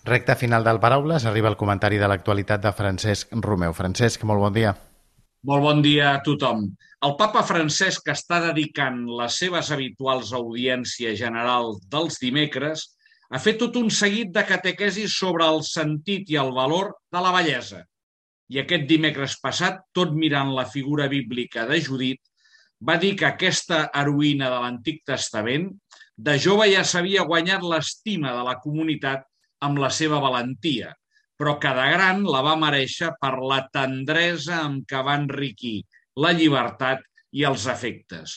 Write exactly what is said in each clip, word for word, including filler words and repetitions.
Recte final del Paraules, arriba el comentari de l'actualitat de Francesc Romeu. Francesc, molt bon dia. Molt bon dia a tothom. El papa Francesc està dedicant les seves habituals audiències generals dels dimecres a fer tot un seguit de catequesis sobre el sentit i el valor de la bellesa. I aquest dimecres passat, tot mirant la figura bíblica de Judit, va dir que aquesta heroïna de l'Antic Testament de jove ja s'havia guanyat l'estima de la comunitat amb la seva valentia, però que de gran la va merèixer per la tendresa amb què va enriquir la llibertat i els afectes.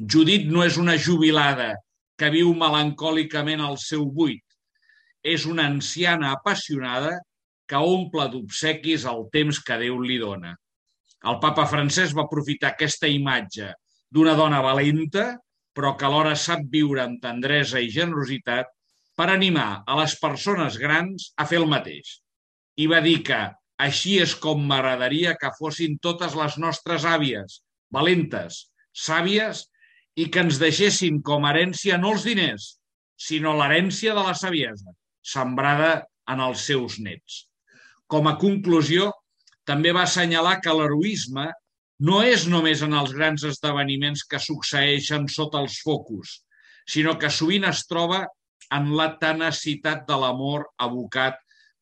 Judit no és una jubilada que viu melancòlicament al seu buit. És una anciana apassionada que omple d'obsequis el temps que Déu li dona. El papa Francesc va aprofitar aquesta imatge d'una dona valenta, però que alhora sap viure amb tendresa i generositat, per animar a les persones grans a fer el mateix. I va dir que així és com m'agradaria que fossin totes les nostres àvies, valentes, sàvies, i que ens deixessin com a herència no els diners, sinó l'herència de la saviesa, sembrada en els seus nets. Com a conclusió, també va assenyalar que l'heroisme no és només en els grans esdeveniments que succeeixen sota els focus, sinó que sovint es troba en la tenacitat de l'amor abocat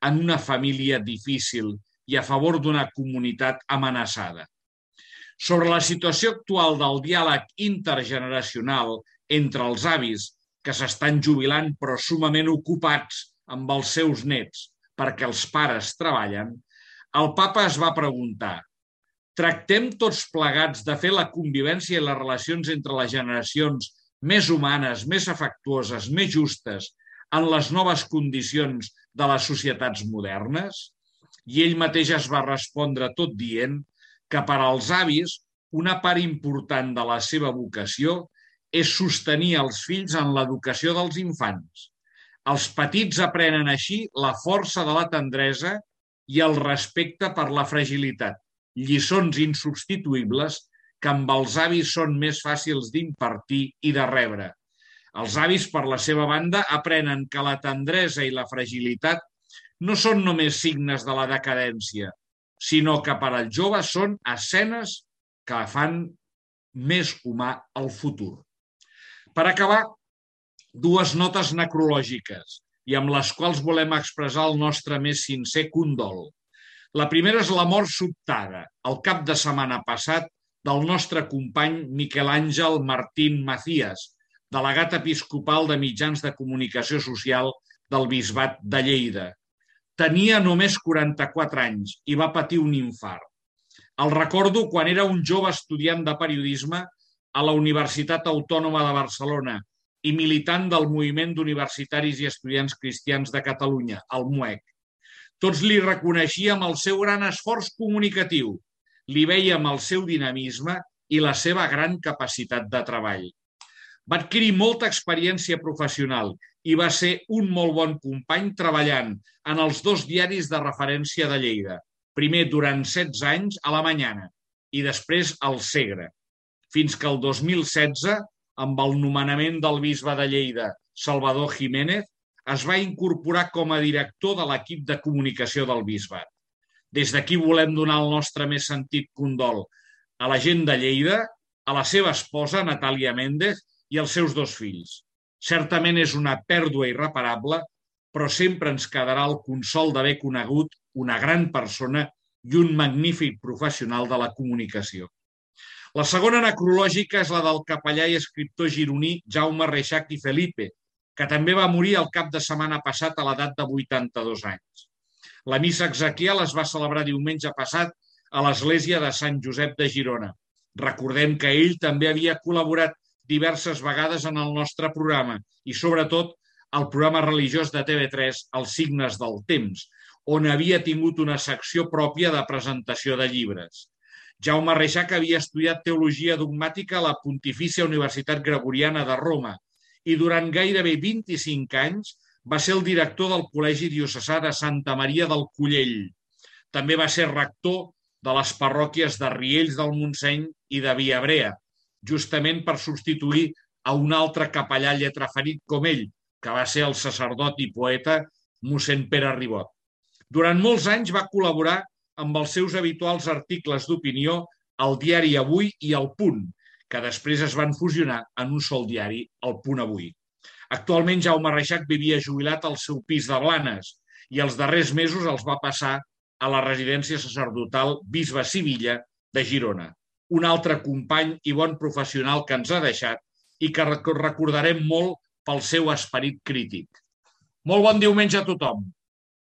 en una família difícil i a favor d'una comunitat amenaçada. Sobre la situació actual del diàleg intergeneracional entre els avis que s'estan jubilant però sumament ocupats amb els seus nets perquè els pares treballen, el papa es va preguntar: tractem tots plegats de fer la convivència i les relacions entre les generacions més humanes, més afectuoses, més justes, en les noves condicions de les societats modernes? I ell mateix es va respondre tot dient que per als avis una part important de la seva vocació és sostenir els fills en l'educació dels infants. Els petits aprenen així la força de la tendresa i el respecte per la fragilitat, lliçons insubstituïbles que amb els avis són més fàcils d'impartir i de rebre. Els avis, per la seva banda, aprenen que la tendresa i la fragilitat no són només signes de la decadència, sinó que per al jove són escenes que fan més humà el futur. Per acabar, dues notes necrològiques i amb les quals volem expressar el nostre més sincer condol. La primera és la mort sobtada, el cap de setmana passat, del nostre company Miquel Àngel Martín Macías, delegat episcopal de mitjans de comunicació social del Bisbat de Lleida. Tenia només quaranta-quatre anys i va patir un infart. El recordo quan era un jove estudiant de periodisme a la Universitat Autònoma de Barcelona i militant del Moviment d'Universitaris i Estudiants Cristians de Catalunya, el MUEC. Tots li reconeixíem el seu gran esforç comunicatiu, li veiem el seu dinamisme i la seva gran capacitat de treball. Va adquirir molta experiència professional i va ser un molt bon company treballant en els dos diaris de referència de Lleida, primer durant setze anys a la Mañana i després al Segre, fins que el dos mil setze, amb el nomenament del bisbe de Lleida, Salvador Jiménez, es va incorporar com a director de l'equip de comunicació del bisbat. Des d'aquí volem donar el nostre més sentit condol a la gent de Lleida, a la seva esposa, Natàlia Méndez, i als seus dos fills. Certament és una pèrdua irreparable, però sempre ens quedarà el consol d'haver conegut una gran persona i un magnífic professional de la comunicació. La segona necrològica és la del capellà i escriptor gironí Jaume Reixach i Felipe, que també va morir el cap de setmana passat a l'edat de vuitanta-dos anys. La missa exequial es va celebrar diumenge passat a l'església de Sant Josep de Girona. Recordem que ell també havia col·laborat diverses vegades en el nostre programa i, sobretot, al programa religiós de T V tres, Els signes del temps, on havia tingut una secció pròpia de presentació de llibres. Jaume Reixach havia estudiat teologia dogmàtica a la Pontifícia Universitat Gregoriana de Roma i durant gairebé vint-i-cinc anys va ser el director del Col·legi Diocesà de Santa Maria del Collell. També va ser rector de les parròquies de Riells del Montseny i de Viabrea, justament per substituir a un altre capellà lletraferit com ell, que va ser el sacerdot i poeta mossèn Pere Ribot. Durant molts anys va col·laborar amb els seus habituals articles d'opinió al diari Avui i El Punt, que després es van fusionar en un sol diari, El Punt Avui. Actualment Jaume Reixac vivia jubilat al seu pis de Blanes i els darrers mesos els va passar a la residència sacerdotal Bisbe Sivilla de Girona, un altre company i bon professional que ens ha deixat i que recordarem molt pel seu esperit crític. Molt bon diumenge a tothom!